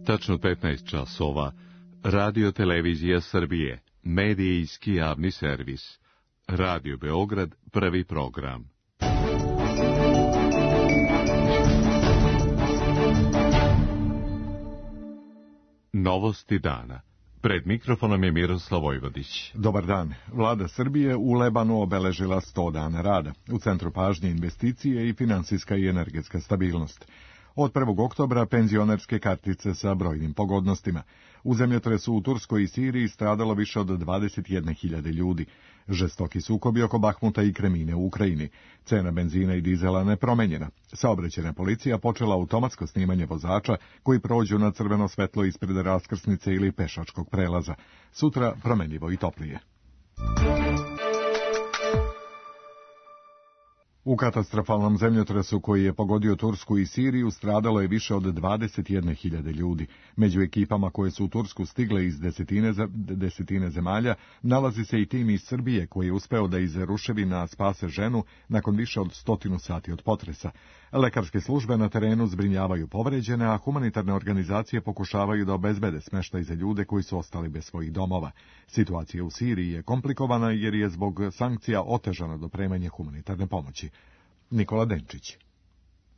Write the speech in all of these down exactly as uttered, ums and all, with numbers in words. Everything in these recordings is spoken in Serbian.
Tačno petnaest časova. Radio Televizija Srbije. Medijski javni servis. Radio Beograd, prvi program. Novosti dana. Pred mikrofonom je Miroslav Vojvodić. Dobar dan. Vlada Srbije u Lebanu obeležila sto dana rada. U centru pažnje investicije i finansijska i energetska stabilnost. Od prvog oktobra penzionerske kartice sa brojnim pogodnostima. U zemljotresu u Turskoj i Siriji stradalo više od dvadeset jedne hiljade ljudi. Žestoki sukobi oko Bahmuta i Kremine u Ukrajini. Cena benzina i dizela nepromenjena. Saobraćajna policija počela automatsko snimanje vozača koji prođu na crveno svetlo ispred raskrsnice ili pešačkog prelaza. Sutra promenljivo i toplije. U katastrofalnom zemljotresu koji je pogodio Tursku i Siriju stradalo je više od dvadeset jedne hiljade ljudi. Među ekipama koje su u Tursku stigle iz desetine, desetine zemalja nalazi se i tim iz Srbije koji je uspeo da iz ruševina spase ženu nakon više od stotinu sati od potresa. Lekarske službe na terenu zbrinjavaju povređene, a humanitarne organizacije pokušavaju da obezbede smeštaj za ljude koji su ostali bez svojih domova. Situacija u Siriji je komplikovana jer je zbog sankcija otežano dopremanje humanitarne pomoći. Nikola Denčić.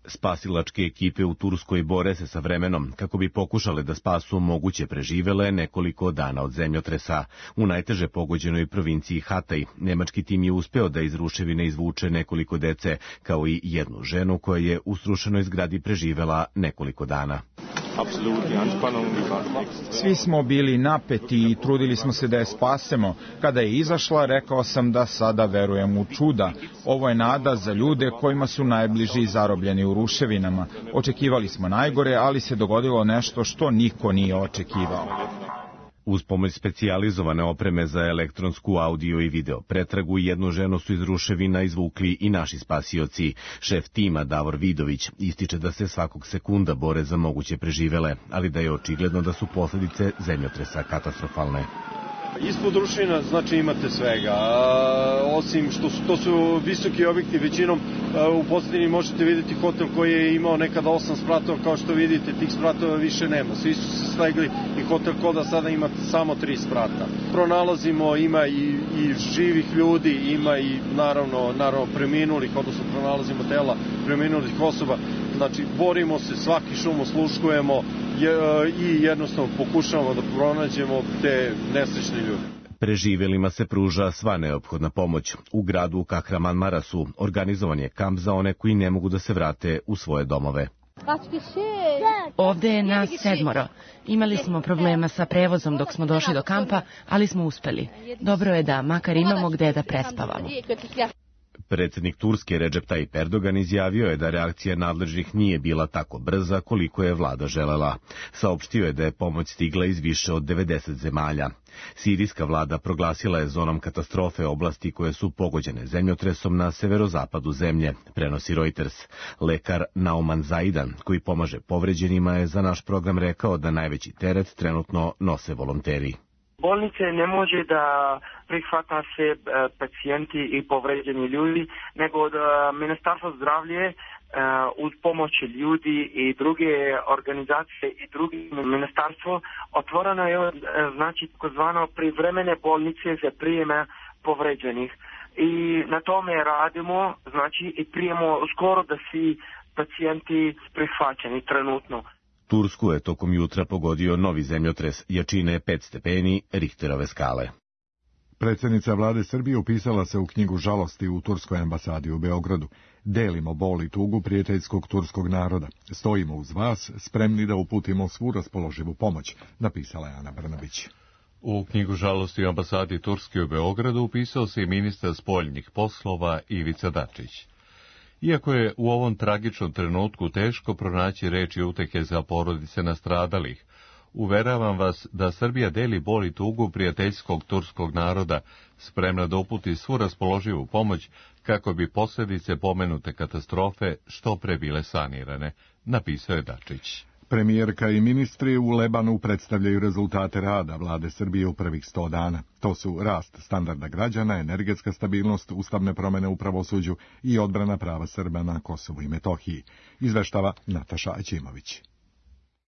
Spasilačke ekipe u Turskoj bore se sa vremenom kako bi pokušale da spasu moguće preživele nekoliko dana od zemljotresa. U najteže pogođenoj provinciji Hatay nemački tim je uspeo da iz ruševine izvuče nekoliko dece, kao i jednu ženu koja je u srušenoj zgradi preživela nekoliko dana. Svi smo bili napeti i trudili smo se da je spasemo. Kada je izašla, rekao sam da sada verujem u čuda. Ovo je nada za ljude kojima su najbliži zarobljeni u ruševinama. Očekivali smo najgore, ali se dogodilo nešto što niko nije očekivao. Uz pomoć specijalizovane opreme za elektronsku audio i video pretragu, jednu ženu su iz ruševina izvukli i naši spasioci. Šef tima Davor Vidović ističe da se svakog sekunda bore za moguće preživele, ali da je očigledno da su posljedice zemljotresa katastrofalne. Ispod ruševina znači imate svega, a, osim što su, to su visoki objekti, većinom a, u posljedini možete vidjeti hotel koji je imao nekada osam spratova, kao što vidite tih spratova više nema, svi su se slegli i hotel Koda sada ima samo tri sprata. Pronalazimo, ima i, i živih ljudi, ima i naravno, naravno preminulih, odnosno pronalazimo tela preminulih osoba, znači borimo se, svaki šum osluškujemo i jednostavno pokušavamo da pronađemo te nesrećne ljude. Preživelima se pruža sva neophodna pomoć. U gradu Kahraman Marasu organizovan je kamp za one koji ne mogu da se vrate u svoje domove. Ovde je nas sedmoro. Imali smo problema sa prevozom dok smo došli do kampa, ali smo uspeli. Dobro je da makar imamo gde da prespavamo. Predsjednik Turske Recep Tayyip Erdogan izjavio je da reakcija nadležnih nije bila tako brza koliko je vlada želela. Saopštio je da je pomoć stigla iz više od devedeset zemalja. Sirijska vlada proglasila je zonom katastrofe oblasti koje su pogođene zemljotresom na severozapadu zemlje, prenosi Reuters. Lekar Nauman Zaidan, koji pomaže povređenima, je za naš program rekao da najveći teret trenutno nose volonteri. Bolnice ne može da prihvata se pacijenti i povređeni ljudi, nego da Ministarstvo zdravlje uz pomoć ljudi i druge organizacije i drugi ministarstvo otvoreno je znači takozvano privremene bolnice za prijeme povređenih. I na tome radimo, znači i prijemo skoro da svi pacijenti prihvaćeni trenutno. Tursku je tokom jutra pogodio novi zemljotres jačine pet stepeni Richterove skale. Predsjednica vlade Srbije upisala se u knjigu žalosti u Turskoj ambasadi u Beogradu. Delimo bol i tugu prijateljskog turskog naroda. Stojimo uz vas, spremni da uputimo svu raspoloživu pomoć, napisala je Ana Brnabić. U knjigu žalosti u ambasadi Turske u Beogradu upisao se i ministar spoljnih poslova Ivica Dačić. Iako je u ovom tragičnom trenutku teško pronaći reči utehe za porodice nastradalih, uveravam vas da Srbija deli bol i tugu prijateljskog turskog naroda, spremna da uputi svu raspoloživu pomoć kako bi posljedice pomenute katastrofe što pre bile sanirane, napisao je Dačić. Premijerka i ministri u Lebanu predstavljaju rezultate rada vlade Srbije u prvih sto dana. To su rast standarda građana, energetska stabilnost, ustavne promjene u pravosuđu i odbrana prava Srba na Kosovu i Metohiji, izveštava Nataša Aćimović.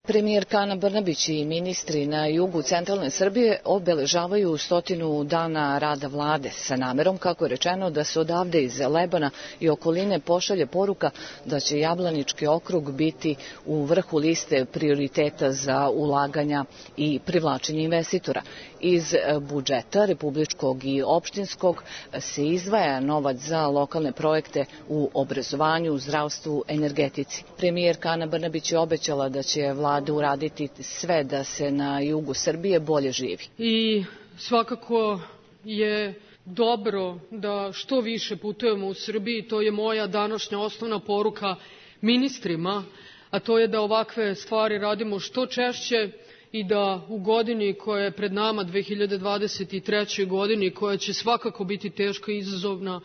Premijerka Ana Brnabić i ministri na jugu centralne Srbije obeležavaju stotinu dana rada vlade sa namerom, kako je rečeno, da se odavde iz Lebana i okoline pošalje poruka da će Jablanički okrug biti u vrhu liste prioriteta za ulaganja i privlačenje investitora. Iz budžeta republičkog i opštinskog se izdvaja novac za lokalne projekte u obrazovanju, zdravstvu, energetici. Premijerka Ana Brnabić je obećala da će vlada uraditi sve da se na jugu Srbije bolje živi. I svakako je dobro da što više putujemo u Srbiji, to je moja današnja osnovna poruka ministrima, a to je da ovakve stvari radimo što češće i da u godini koja je pred nama, dve hiljade dvadeset trećoj godini, koja će svakako biti teška i izazovna,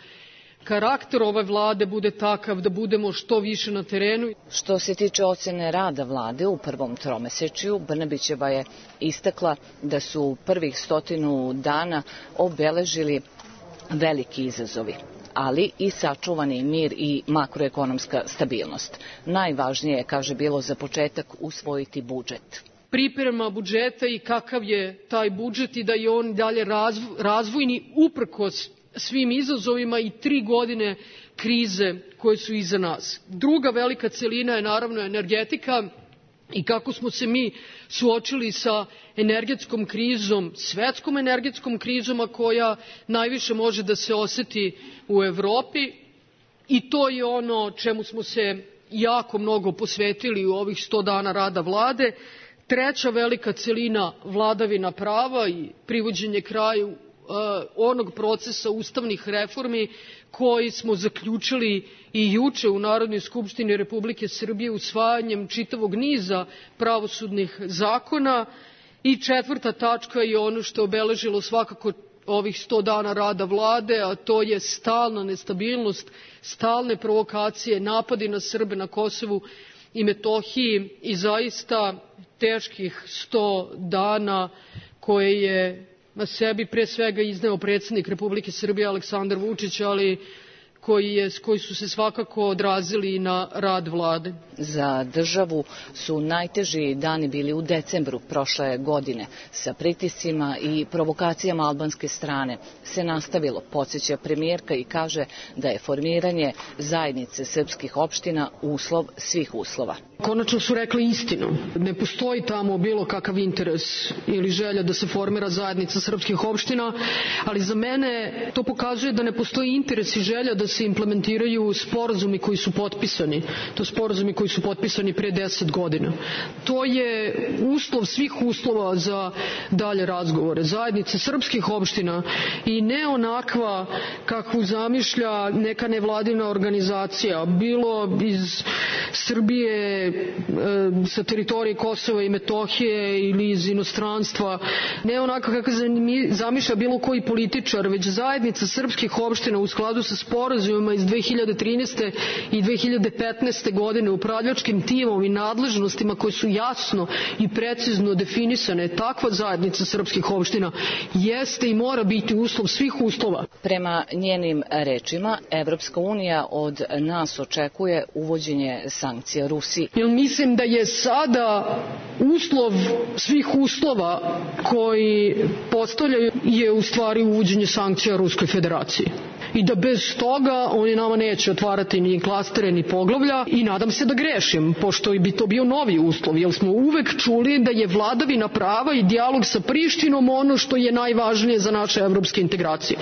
karakter ove vlade bude takav da budemo što više na terenu. Što se tiče ocene rada vlade u prvom tromesečju, Brnabićeva je istakla da su prvih stotinu dana obeležili veliki izazovi, ali i sačuvani mir i makroekonomska stabilnost. Najvažnije je, kaže, bilo za početak usvojiti budžet. Priprema budžeta i kakav je taj budžet i da je on dalje razvojni uprkos svim izazovima i tri godine krize koje su iza nas. Druga velika celina je naravno energetika i kako smo se mi suočili sa energetskom krizom, svetskom energetskom krizom, a koja najviše može da se oseti u Evropi, i to je ono čemu smo se jako mnogo posvetili u ovih sto dana rada vlade. Treća velika celina, vladavina prava i privođenje kraju onog procesa ustavnih reformi koji smo zaključili i juče u Narodnoj skupštini Republike Srbije usvajanjem čitavog niza pravosudnih zakona. I četvrta tačka je ono što je obeležilo svakako ovih sto dana rada vlade, a to je stalna nestabilnost, stalne provokacije, napadi na Srbe na Kosovu i Metohiji i zaista teških sto dana koje je na sebi pre svega izneo predsjednik Republike Srbije Aleksandar Vučić, ali koji, je, koji su se svakako odrazili na rad vlade. Za državu su najteži dani bili u decembru prošle godine. Sa pritiscima i provokacijama albanske strane se nastavilo, podsjeća premijerka, i kaže da je formiranje zajednice srpskih opština uslov svih uslova. Konačno su rekli istinu. Ne postoji tamo bilo kakav interes ili želja da se formira zajednica srpskih opština, ali za mene to pokazuje da ne postoji interes i želja da se implementiraju sporazumi koji su potpisani. To sporazumi koji su potpisani pre deset godina. To je uslov svih uslova za dalje razgovore. Zajednice srpskih opština i ne onakva kakvu zamišlja neka nevladina organizacija, bilo iz Srbije, sa teritorije Kosova i Metohije ili iz inostranstva, ne onako kako zamišlja bilo koji političar, već zajednica srpskih opština u skladu sa sporazumima iz dve hiljade trinaeste. i dve hiljade petnaeste. godine, upravljačkim timom i nadležnostima koje su jasno i precizno definisane. Takva zajednica srpskih opština jeste i mora biti uslov svih uslova. Prema njenim rečima, Evropska unija od nas očekuje uvođenje sankcija Rusiji. Jer mislim da je sada uslov svih uslova koji postavljaju je u stvari uvođenje sankcija Ruskoj federaciji. I da bez toga oni nama neće otvarati ni klastere ni poglavlja i nadam se da grešim, pošto bi to bio novi uslov, jer smo uvek čuli da je vladavina prava i dijalog sa Prištinom ono što je najvažnije za naše evropske integracije.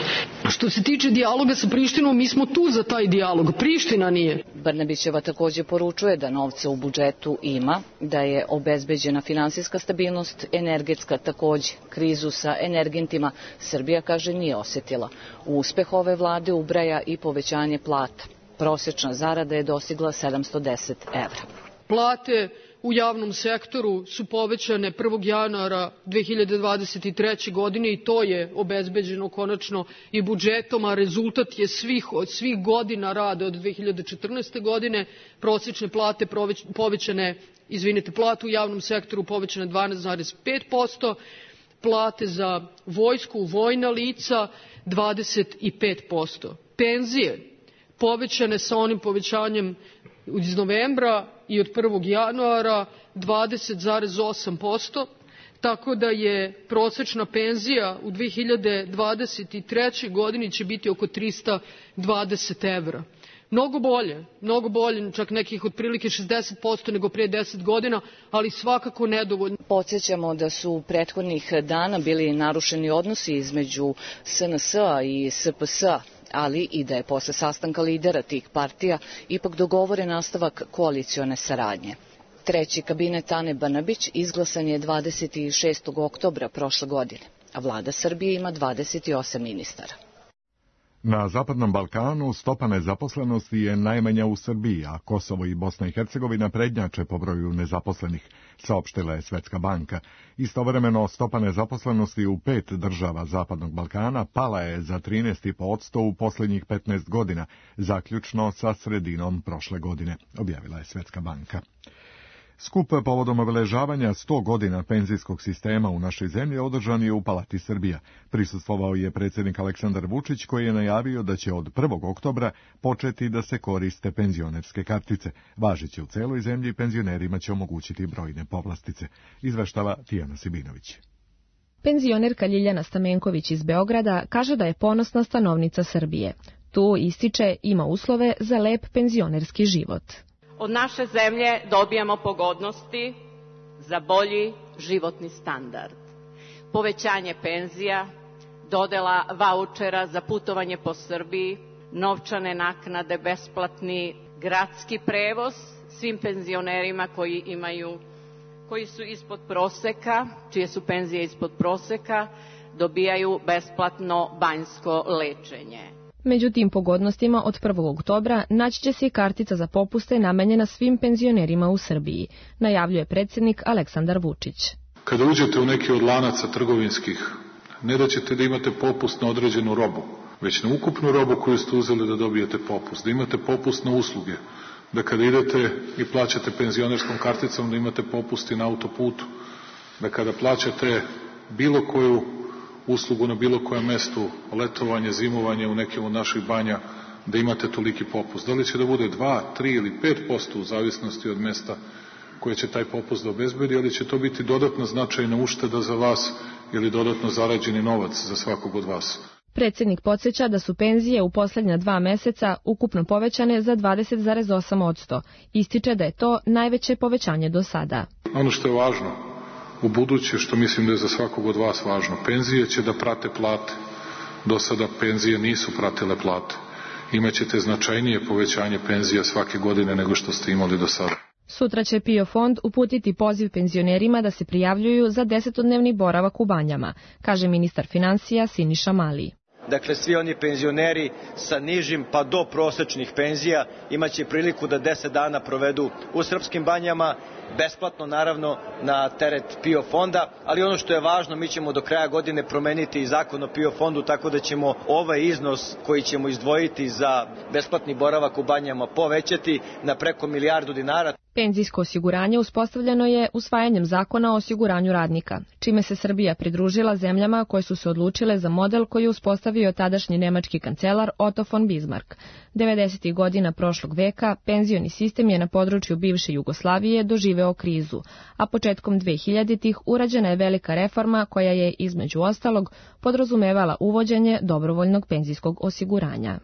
Što se tiče dijaloga sa Prištinom, mi smo tu za taj dijalog, Priština nije. Brnabićeva takođe poručuje da novca u budžetu ima, da je obezbeđena finansijska stabilnost, energetska takođe. Krizu sa energentima Srbija, kaže, nije osetila. Uspeh ove vlade ubraja i povećanje plata. Prosečna zarada je dostigla sedamsto deset evra. Plate u javnom sektoru su povećane prvog januara dve hiljade dvadeset treće. godine i to je obezbeđeno konačno i budžetom, a rezultat je svih, od svih godina rada od dve hiljade četrnaeste. godine. Prosečne plate povećane, izvinite, plate u javnom sektoru povećane dvanaest zarez pet posto, plate za vojsku, vojna lica dvadeset pet posto. Penzije povećane sa onim povećanjem iz novembra i od prvog januara dvadeset zarez osam posto, tako da je prosečna penzija u dve hiljade dvadeset trećoj godini će biti oko trista dvadeset evra. Mnogo bolje, mnogo bolje, čak nekih otprilike šezdeset posto nego prije deset godina, ali svakako nedovoljno. Podsjećamo da su prethodnih dana bili narušeni odnosi između S N S-a i S P S-a, ali i da je posle sastanka lidera tih partija ipak dogovoren nastavak koalicione saradnje. Treći kabinet Ane Brnabić izglasan je dvadeset šestog oktobra prošle godine, a vlada Srbije ima dvadeset osam ministara. Na Zapadnom Balkanu stopa nezaposlenosti je najmanja u Srbiji, a Kosovo i Bosna i Hercegovina prednjače po broju nezaposlenih, saopštila je Svetska banka. Istovremeno stopa nezaposlenosti u pet država Zapadnog Balkana pala je za trinaest zarez pet posto u posljednjih petnaest godina, zaključno sa sredinom prošle godine, objavila je Svetska banka. Skup povodom obeležavanja sto godina penzijskog sistema u našoj zemlji održan je u Palati Srbija. Prisustvovao je predsjednik Aleksandar Vučić, koji je najavio da će od prvog oktobra početi da se koriste penzionerske kartice. Važeće u celoj zemlji, penzionerima će omogućiti brojne povlastice, izveštava Tijana Sibinović. Penzionerka Ljiljana Stamenković iz Beograda kaže da je ponosna stanovnica Srbije. Tu, ističe, ima uslove za lep penzionerski život. Od naše zemlje dobijamo pogodnosti za bolji životni standard. Povećanje penzija, dodela vaučera za putovanje po Srbiji, novčane naknade, besplatni gradski prevoz svim penzionerima koji imaju, koji su ispod proseka, čije su penzije ispod proseka, dobijaju besplatno banjsko lečenje. Među tim pogodnostima od prvog oktobra naći će se i kartica za popuste namenjena svim penzionerima u Srbiji, najavljuje predsjednik Aleksandar Vučić. Kada uđete u neki od lanaca trgovinskih, ne da ćete da imate popust na određenu robu, već na ukupnu robu koju ste uzeli da dobijete popust, da imate popust na usluge, da kada idete i plaćate penzionerskom karticom da imate popust i na autoputu, da kada plaćate bilo koju uslugu na bilo kojem mestu, letovanje, zimovanje u nekim od naših banja, da imate toliki popust. Da li će da bude dva, tri ili pet posto u zavisnosti od mesta koje će taj popust da obezbedi, ali će to biti dodatno značajna ušteda za vas ili dodatno zarađeni novac za svakog od vas. Predsjednik podsjeća da su penzije u posljednja dva meseca ukupno povećane za dvadeset zarez osam posto. Ističe da je to najveće povećanje do sada. Ono što je važno u buduće, što mislim da je za svakog od vas važno, penzije će da prate plate. Do sada penzije nisu pratile plate. Imaćete značajnije povećanje penzija svake godine nego što ste imali do sada. Sutra će PIO fond uputiti poziv penzionerima da se prijavljuju za desetodnevni boravak u banjama, kaže ministar financija Siniša Mali. Dakle, svi oni penzioneri sa nižim pa do prosečnih penzija imaće priliku da deset dana provedu u srpskim banjama, besplatno naravno na teret PIO fonda, ali ono što je važno, mi ćemo do kraja godine promeniti i zakon o PIO fondu, tako da ćemo ovaj iznos koji ćemo izdvojiti za besplatni boravak u banjama povećati na preko milijardu dinara. Penzijsko osiguranje uspostavljeno je usvajanjem zakona o osiguranju radnika, čime se Srbija pridružila zemljama koje su se odlučile za model koji je uspostavio tadašnji nemački kancelar Otto von Bismarck. devedesetih godina prošlog veka penzioni sistem je na području bivše Jugoslavije doživeo krizu, a početkom dvehiljaditih urađena je velika reforma koja je, između ostalog, podrazumevala uvođenje dobrovoljnog penzijskog osiguranja.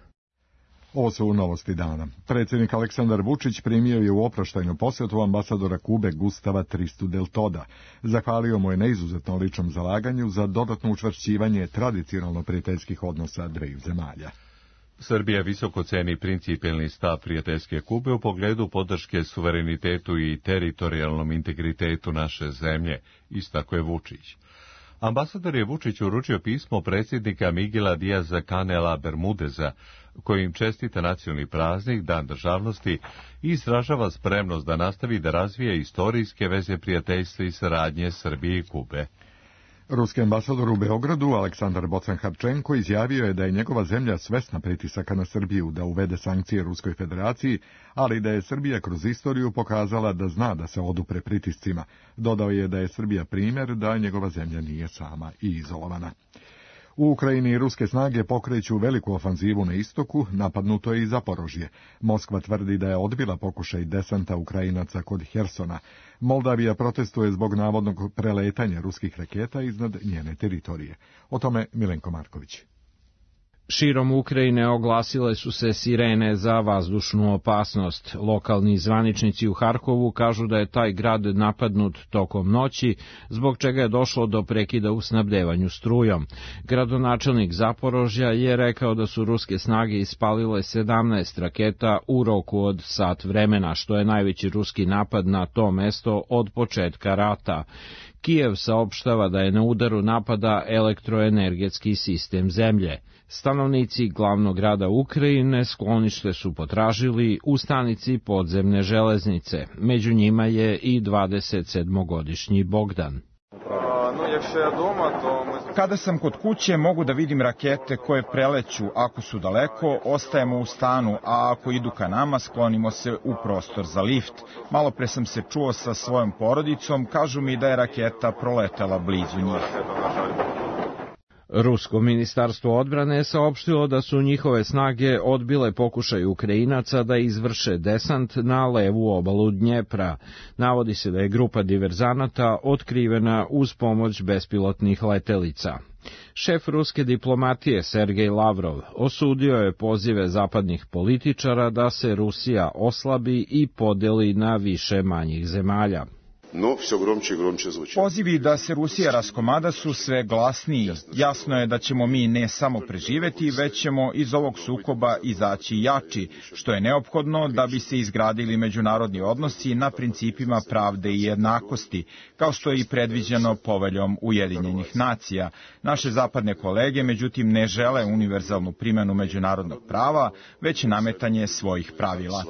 Ovo su novosti dana. Predsjednik Aleksandar Vučić primio je u oproštajnu posjetu ambasadora Kube Gustava Tristu del Toda. Zahvalio mu je na izuzetno ličnom zalaganju za dodatno učvršćivanje tradicionalno prijateljskih odnosa dveju zemalja. Srbija visoko ceni principijelni stav prijateljske Kube u pogledu podrške suverenitetu i teritorijalnom integritetu naše zemlje, istakao je Vučić. Ambasador je Vučić uručio pismo predsjednika Miguela Diaza Canela Bermudeza, kojim čestita nacionalni praznik, Dan državnosti, i izražava spremnost da nastavi da razvija istorijske veze prijateljstva i saradnje Srbije i Kube. Ruski ambasador u Beogradu, Aleksandar Bocan-Harčenko, izjavio je da je njegova zemlja svesna pritisaka na Srbiju da uvede sankcije Ruskoj federaciji, ali da je Srbija kroz istoriju pokazala da zna da se odupre pritiscima. Dodao je da je Srbija primjer da njegova zemlja nije sama i izolovana. U Ukrajini ruske snage pokreću veliku ofanzivu na istoku, napadnuto je i Zaporožje. Moskva tvrdi da je odbila pokušaj desanta Ukrajinaca kod Hersona. Moldavija protestuje zbog navodnog preletanja ruskih raketa iznad njene teritorije. O tome Milenko Marković. Širom Ukrajine oglasile su se sirene za vazdušnu opasnost. Lokalni zvaničnici u Harkovu kažu da je taj grad napadnut tokom noći, zbog čega je došlo do prekida u snabdevanju strujom. Gradonačelnik Zaporožja je rekao da su ruske snage ispalile sedamnaest raketa u roku od sat vremena, što je najveći ruski napad na to mesto od početka rata. Kijev saopštava da je na udaru napada elektroenergetski sistem zemlje. Stanovnici glavnog grada Ukrajine sklonište su potražili u stanici podzemne železnice. Među njima je i dvadesetsedmogodišnji Bogdan. Kada sam kod kuće mogu da vidim rakete koje preleću. Ako su daleko, ostajemo u stanu, a ako idu ka nama, sklonimo se u prostor za lift. Malo pre sam se čuo sa svojom porodicom, kažu mi da je raketa proletela blizu njih. Rusko ministarstvo odbrane je saopštilo da su njihove snage odbile pokušaj Ukrajinaca da izvrše desant na levu obalu Dnjepra. Navodi se da je grupa diverzanata otkrivena uz pomoć bespilotnih letelica. Šef ruske diplomatije Sergej Lavrov osudio je pozive zapadnih političara da se Rusija oslabi i podeli na više manjih zemalja. No, sve gromče i gromče zvuči. Pozivi da se Rusija raskomada su sve glasniji. Jasno je da ćemo mi ne samo preživeti, već ćemo iz ovog sukoba izaći jači, što je neophodno da bi se izgradili međunarodni odnosi na principima pravde i jednakosti, kao što je i predviđeno poveljom Ujedinjenih nacija. Naše zapadne kolege, međutim, ne žele univerzalnu primjenu međunarodnog prava, već nametanje svojih pravila.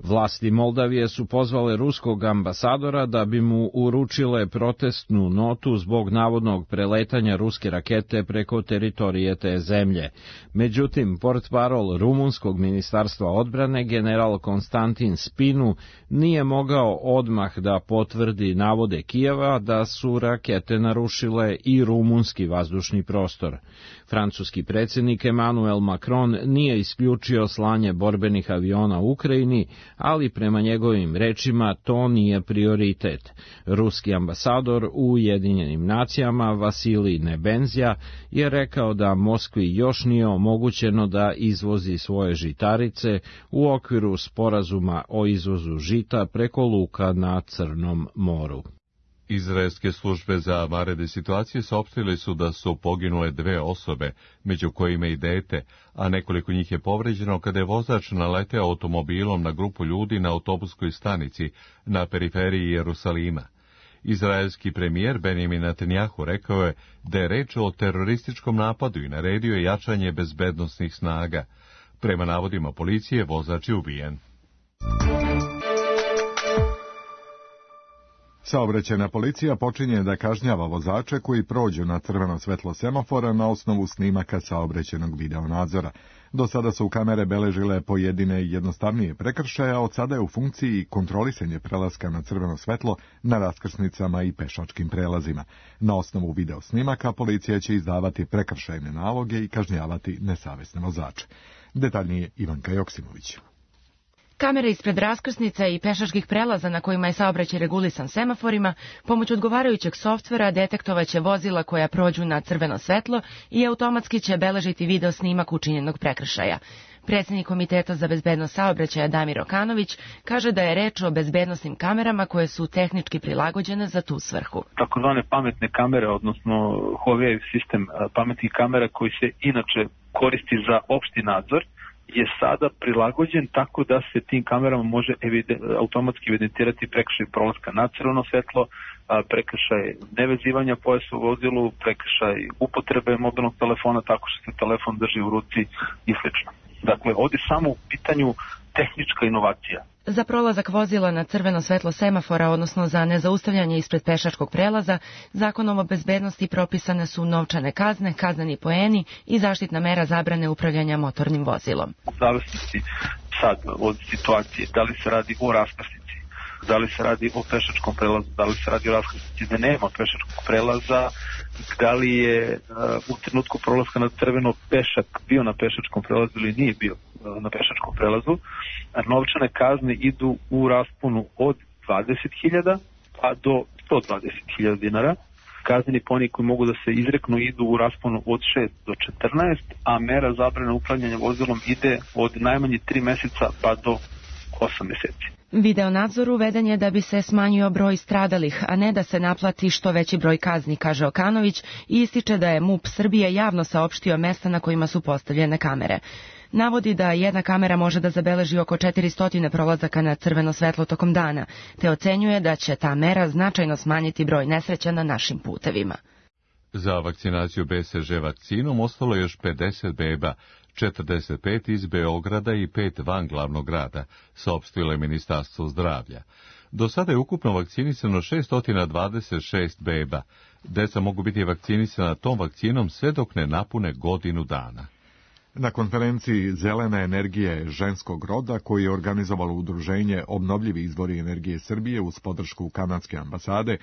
Vlasti Moldavije su pozvale ruskog ambasadora da bi mu uručile protestnu notu zbog navodnog preletanja ruske rakete preko teritorije te zemlje. Međutim, portparol rumunskog ministarstva odbrane, general Konstantin Spinu, nije mogao odmah da potvrdi navode Kijeva da su rakete narušile i rumunski vazdušni prostor. Francuski predsjednik Emmanuel Macron nije isključio slanje borbenih aviona u Ukrajini, ali prema njegovim rečima to nije prioritet. Ruski ambasador u Ujedinjenim nacijama Vasilij Nebenzija je rekao da Moskvi još nije omogućeno da izvozi svoje žitarice u okviru sporazuma o izvozu žita preko luka na Crnom moru. Izraelske službe za vanredne situacije saopštile su da su poginule dve osobe, među kojima i dete, a nekoliko njih je povređeno kada je vozač naleteo automobilom na grupu ljudi na autobuskoj stanici na periferiji Jerusalima. Izraelski premijer Benjamin Netanjahu rekao je da je reč o terorističkom napadu i naredio je jačanje bezbednosnih snaga. Prema navodima policije, vozač je ubijen. Saobraćajna policija počinje da kažnjava vozače koji prođu na crveno svetlo semafora na osnovu snimaka saobraćajnog videonadzora. Do sada su kamere beležile pojedine jednostavnije prekršaje, a od sada je u funkciji kontrolisanje prelaska na crveno svetlo na raskrsnicama i pešačkim prelazima. Na osnovu video snimaka policija će izdavati prekršajne naloge i kažnjavati nesavesne vozače. Detaljnije Ivanka Joksimović. Kamere ispred raskrsnica i pešačkih prelaza na kojima je saobraćaj regulisan semaforima, pomoć odgovarajućeg softvera detektovaće vozila koja prođu na crveno svetlo i automatski će beležiti video snimak učinjenog prekršaja. Predsjednik Komiteta za bezbednost saobraćaja Damir Okanović kaže da je reč o bezbednosnim kamerama koje su tehnički prilagođene za tu svrhu. Takozvane pametne kamere, odnosno Huawei sistem pametnih kamera koji se inače koristi za opšti nadzor, je sada prilagođen tako da se tim kamerama može evide, automatski evidentirati prekršaj prolaska na crveno svetlo, prekršaj nevezivanja pojasa u vozilu, prekršaj upotrebe mobilnog telefona tako što se telefon drži u ruci i sl. Dakle, ovdje samo u pitanju tehnička inovacija. Za prolazak vozila na crveno svetlo semafora, odnosno za nezaustavljanje ispred pešačkog prelaza, zakonom o bezbednosti propisane su novčane kazne, kazneni poeni i zaštitna mera zabrane upravljanja motornim vozilom. U zavisnosti sad od situacije, da li se radi o raskrsnici, da li se radi o pešačkom prelazu, da li se radi o raskrsnici gde nema pešačkog prelaza, da li je uh, u trenutku prolaska na crveno pešak bio na pešačkom prelazu ili nije bio uh, na pešačkom prelazu. A novčane kazne idu u rasponu od dvadeset hiljada pa do sto dvadeset hiljada dinara. Kazneni poni koji mogu da se izreknu idu u rasponu od šest do četrnaest, a mera zabrane upravljanja vozilom ide od najmanje tri meseca pa do osam meseci. Video nadzor uveden je da bi se smanjio broj stradalih, a ne da se naplati što veći broj kazni, kaže Okanović i ističe da je MUP Srbije javno saopštio mesta na kojima su postavljene kamere. Navodi da jedna kamera može da zabeleži oko četiristo prolazaka na crveno svetlo tokom dana, te ocenjuje da će ta mera značajno smanjiti broj nesreća na našim putevima. Za vakcinaciju B C G vakcinom ostalo još pedeset beba, četrdeset pet iz Beograda i pet van glavnog grada, saopštilo je Ministarstvo zdravlja. Do sada je ukupno vakcinisano šesto dvadeset šest beba. Deca mogu biti vakcinisana tom vakcinom sve dok ne napune godinu dana. Na konferenciji Zelena energije ženskog roda, koju je organizovalo udruženje Obnovljivi izvori energije Srbije uz podršku kanadske ambasade,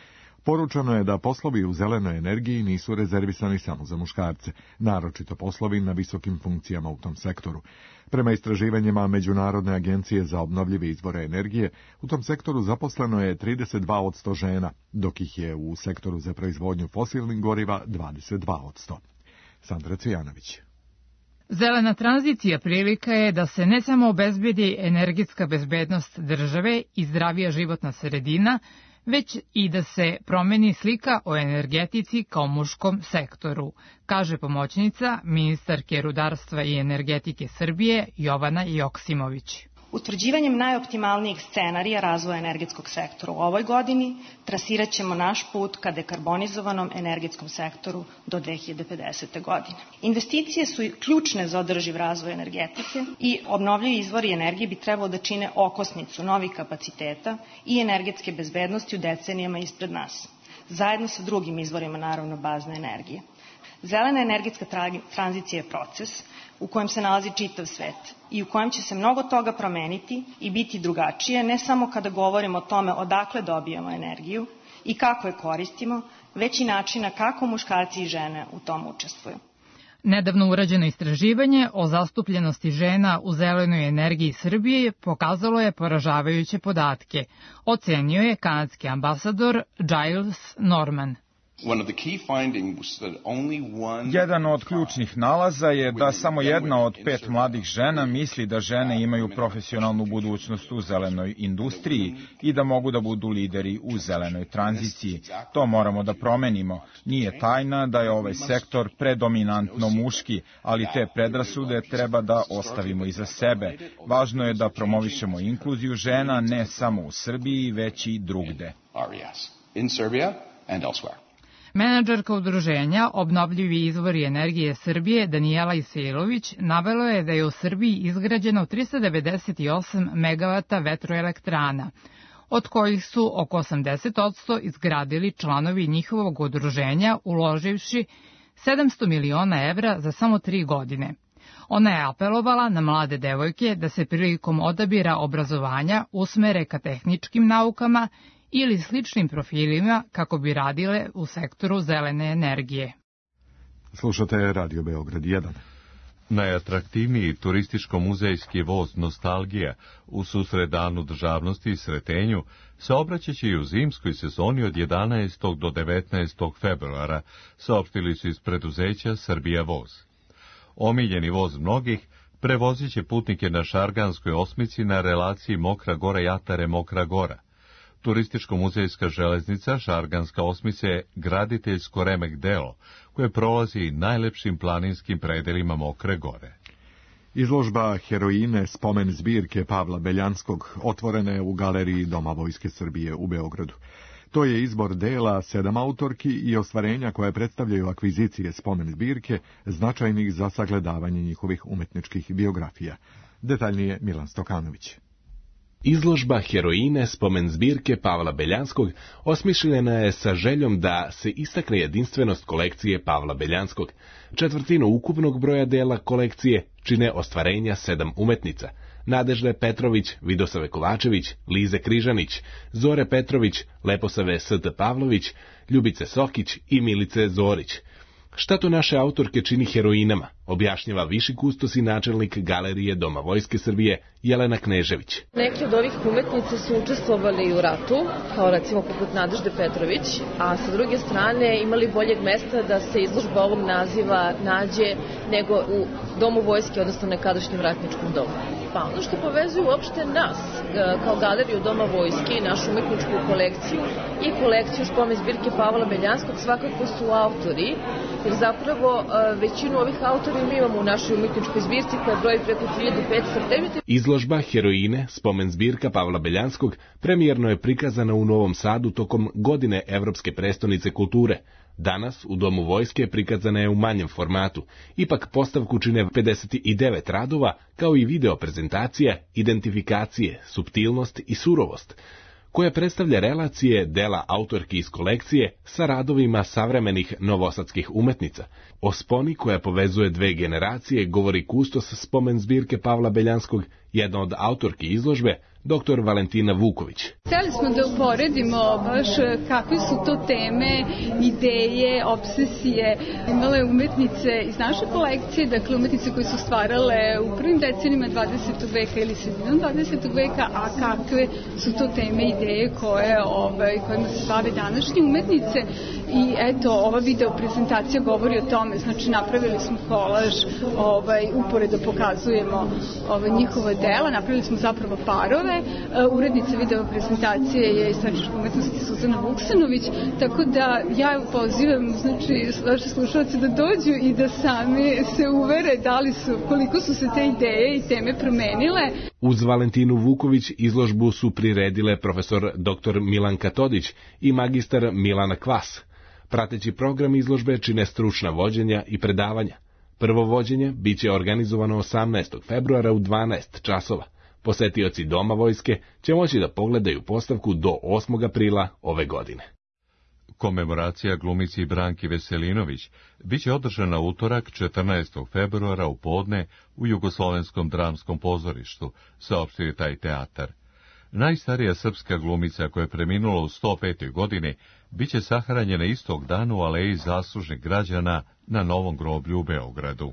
poručeno je da poslovi u zelenoj energiji nisu rezervisani samo za muškarce, naročito poslovi na visokim funkcijama u tom sektoru. Prema istraživanjima Međunarodne agencije za obnovljive izvore energije, u tom sektoru zaposleno je trideset dva posto žena, dok ih je u sektoru za proizvodnju fosilnih goriva dvadeset dva posto. Sandra Cvijanović. Zelena tranzicija prilika je da se ne samo obezbedi energetska bezbednost države i zdravija životna sredina, već i da se promeni slika o energetici kao muškom sektoru, kaže pomoćnica ministarke rudarstva i energetike Srbije Jovana Joksimović. Utvrđivanjem najoptimalnijih scenarija razvoja energetskog sektora u ovoj godini trasirat ćemo naš put ka dekarbonizovanom energetskom sektoru do dve hiljade pedesete. godine. Investicije su ključne za održiv razvoj energetike i obnovljivi izvori energije bi trebalo da čine okosnicu novih kapaciteta i energetske bezbednosti u decenijama ispred nas, zajedno sa drugim izvorima, naravno, bazne energije. Zelena energetska tranzicija je proces u kojem se nalazi čitav svet i u kojem će se mnogo toga promeniti i biti drugačije, ne samo kada govorimo o tome odakle dobijamo energiju i kako je koristimo, već i načina kako muškarci i žene u tom učestvuju. Nedavno urađeno istraživanje o zastupljenosti žena u zelenoj energiji Srbije pokazalo je poražavajuće podatke, ocenio je kanadski ambasador Giles Norman. Jedan od ključnih nalaza je da samo jedna od pet mladih žena misli da žene imaju profesionalnu budućnost u zelenoj industriji i da mogu da budu lideri u zelenoj tranziciji. To moramo da promenimo. Nije tajna da je ovaj sektor predominantno muški, ali te predrasude treba da ostavimo iza sebe. Važno je da promovišemo inkluziju žena ne samo u Srbiji, već i drugde. Menadžerka udruženja Obnovljivi izvori energije Srbije Danijela Isailović navela je da je u Srbiji izgrađeno trista devedeset osam megavata vetroelektrana, od kojih su oko osamdeset posto izgradili članovi njihovog udruženja uloživši sedamsto miliona evra za samo tri godine. Ona je apelovala na mlade devojke da se prilikom odabira obrazovanja usmere ka tehničkim naukama ili sličnim profilima kako bi radile u sektoru zelene energije. Slušate Radio Beograd jedan. Najatraktivniji turističko-muzejski voz Nostalgija u susret Danu državnosti i Sretenju saobraćaće i u zimskoj sezoni od jedanaestog do devetnaestog februara, saopštili su iz preduzeća Srbija voz. Omiljeni voz mnogih prevozit će putnike na Šarganskoj osmici na relaciji Mokra Gora Jatare Mokra Gora. Turističko-muzejska železnica Šarganska osmica je graditeljsko remek delo koje prolazi najlepšim planinskim predelima Mokre Gore. Izložba Heroine spomen zbirke Pavla Beljanskog otvorena je u galeriji Doma Vojske Srbije u Beogradu. To je izbor dela sedam autorki i ostvarenja koje predstavljaju akvizicije spomen zbirke, značajnih za sagledavanje njihovih umetničkih biografija. Detaljnije Milan Stokanović. Izložba Heroine spomen zbirke Pavla Beljanskog osmišljena je sa željom da se istakne jedinstvenost kolekcije Pavla Beljanskog. Četvrtinu ukupnog broja dela kolekcije čine ostvarenja sedam umetnica. Nadežde Petrović, Vidosave Kovačević, Lize Križanić, Zore Petrović, Leposave S T Pavlović, Ljubice Sokić i Milice Zorić. Šta to naše autorke čini heroinama, objašnjava viši kustos i načelnik Galerije Doma Vojske Srbije Jelena Knežević. Neki od ovih umetnica su učestvovali u ratu, kao recimo poput Nadežde Petrović, a sa druge strane imali boljeg mesta da se izložba ovog naziva nađe nego u Domu Vojske, odnosno nekadašnjem ratničkom domu. Pa ono što povezuje uopšte nas, kao Galeriju Doma Vojske i našu umetničku kolekciju i kolekciju spomen zbirke Pavla Beljanskog svakako su autori, jer zapravo većinu ovih autora mi imamo u našoj umetničkoj zbirci koja broji preko hiljadu petsto. Izložba Heroine, spomen zbirka Pavla Beljanskog, premijerno je prikazana u Novom Sadu tokom godine Evropske prestonice kulture. Danas u Domu Vojske prikazana je u manjem formatu, ipak postavku čine pedeset devet radova, kao i video prezentacija, identifikacije, suptilnost i surovost, koja predstavlja relacije dela autorki iz kolekcije sa radovima savremenih novosadskih umetnica. O sponi koja povezuje dve generacije govori kustos spomen zbirke Pavla Beljanskog, jedna od autorki izložbe, doktor Valentina Vuković. Hteli smo da uporedimo baš kakve su to teme, ideje, obsesije. Imale umetnice iz naše kolekcije, dakle umetnice koje su stvarale u prvim decenijima dvadesetog veka ili sredinom dvadesetog veka, a kakve su to teme, ideje koje, ovaj, kojima se bave današnje umetnice. I eto, ova video prezentacija govori o tome, znači napravili smo kolaž, ovaj, uporedo pokazujemo ovaj, njihova dela, napravili smo zapravo parove. Urednica video prezentacije je istraživačka umetnosti Suzana Vuksanović, tako da ja pozivam, znači, vaše slušalce da dođu i da sami se uvere da li su, koliko su se te ideje i teme promenile. Uz Valentinu Vuković izložbu su priredile profesor doktor Milanka Todić i magistar Milana Kvas. Prateći program izložbe čine stručna vođenja i predavanja. Prvo vođenje biće organizovano osamnaestog februara u dvanaest časova. Posetioci Doma Vojske će moći da pogledaju postavku do osmog aprila ove godine. Komemoracija glumici Branki Veselinović biće održana utorak četrnaestog februara u podne u Jugoslovenskom dramskom pozorištu, saopštio je taj teatar. Najstarija srpska glumica koja je preminula u sto petoj godini biće sahranjena istog dana u Aleji zaslužnih građana na Novom groblju u Beogradu.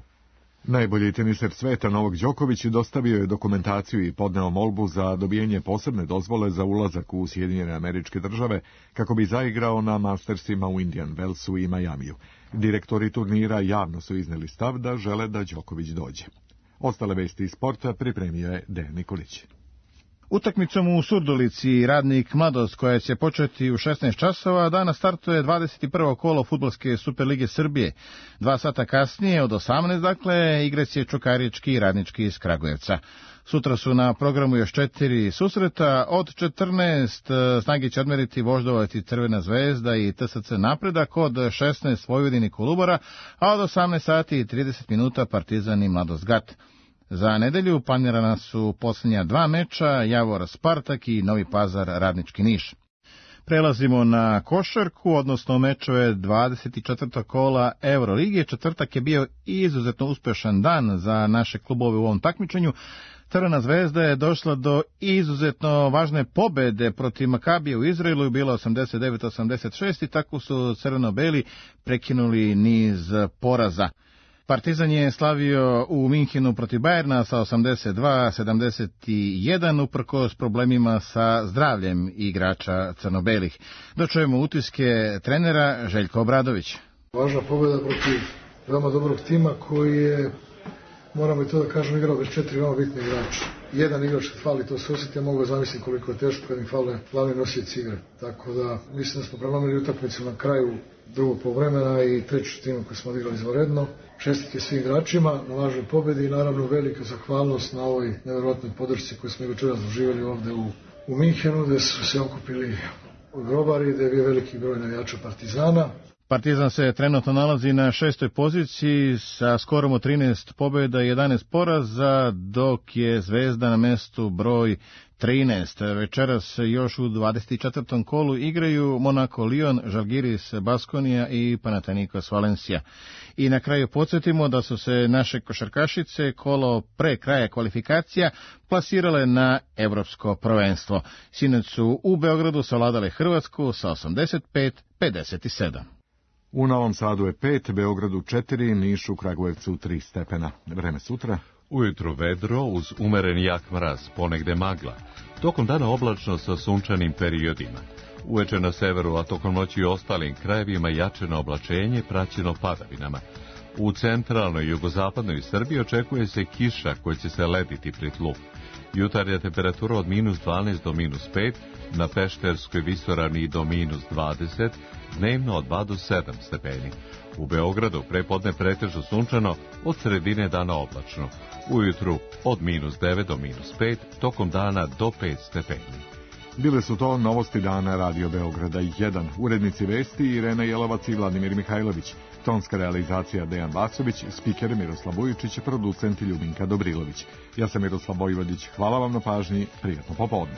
Najbolji teniser sveta Novak Đoković dostavio je dokumentaciju i podneo molbu za dobijanje posebne dozvole za ulazak u Sjedinjene Američke Države kako bi zaigrao na Mastersima u Indian Wellsu i Majamiju. Direktori turnira javno su izneli stav da žele da Đoković dođe. Ostale vesti iz sporta pripremio je Dejan Nikolić. Utakmicom u Surdulici Radnik Mladost, koja će početi u šesnaest časova, danas startuje dvadeset prvo kolo Fudbalske Superlige Srbije. Dva sata kasnije, od osamnaest, dakle, igraće Čukarički i Radnički iz Kragujevca. Sutra su na programu još četiri susreta. Od četrnaest snage će odmeriti Voždovac i Crvena zvezda i T S C Napredak, od šesnaest Vojvodin i Kolubara, a od osamnaest sati i trideset minuta Partizan i Mladost Gat. Za nedelju planirana su posljednja dva meča, Javor Spartak i Novi Pazar Radnički Niš. Prelazimo na košarku, odnosno mečeve dvadeset četvrtog kola Euroligije. Četvrtak je bio izuzetno uspešan dan za naše klubove u ovom takmičenju. Crvena zvezda je došla do izuzetno važne pobede protiv Makabije u Izraelu i bila osamdeset devet osamdeset šest i tako su crveno-beli prekinuli niz poraza. Partizan je slavio u Minhenu protiv Bajerna sa osamdeset dva sedamdeset jedan uprkos problemima sa zdravljem igrača crno-belih. Dočujemo utiske trenera Željko Obradović. Važna pobjeda protiv veoma dobrog tima koji je, moramo i to da kažem, igrao bez četiri veoma bitne igrača. Jedan igrač kad fali, to se osjeti, ja mogu zamisliti koliko je teško kad im fale glavni nosioci igre. Tako da mislim da smo prelomili utakmicu na kraju drugog poluvremena i treću timu koju smo odigrali izvanredno. Čestitke svim igračima na važnoj pobedi i naravno velika zahvalnost na ovoj nevjerojatnoj podršci koju smo i večeras doživjeli ovde u, u Minhenu, gde su se okupili grobari, gde je bio veliki broj navijača Partizana. Partizan se trenutno nalazi na šestoj poziciji sa skorom od trinaest pobjeda i jedanaest poraza, dok je Zvezda na mestu broj trinaest. Večeras još u dvadeset četvrtom kolu igraju Monaco Lyon, Žalgiris Baskonija i Panathinaikos Valencija. I na kraju podsjetimo da su se naše košarkašice kolo pre kraja kvalifikacija plasirale na evropsko prvenstvo. Sinoć su u Beogradu savladale Hrvatsku sa osamdeset pet pedeset sedam. U Novom Sadu je pet, Beogradu četiri, Nišu, Kragujevcu tri stepena. Vreme sutra. Ujutro vedro uz umeren jak mraz, ponegde magla. Tokom dana oblačno sa sunčanim periodima. Uveče na severu, a tokom noći i ostalim krajevima jačeno oblačenje praćeno padavinama. U centralnoj i jugozapadnoj Srbiji očekuje se kiša koja će se lediti pri tlu. Jutarnja temperatura od minus dvanaest do minus pet, na Pešterskoj visoravni do minus dvadeset, dnevno od dva do sedam stepeni. U Beogradu prepodne pretežno sunčano, od sredine dana oblačno. Ujutru od minus devet do minus pet, tokom dana do pet stepeni. Bile su to novosti dana Radio Beograda jedan. Urednici vesti Irena Jelovac i Vladimir Mihajlović. Tonska realizacija Dejan Vasović, spiker Miroslav Vujičić, producent Ljubinka Dobrilović. Ja sam Miroslav Vojvodić. Hvala vam na pažnji. Prijatno popodne.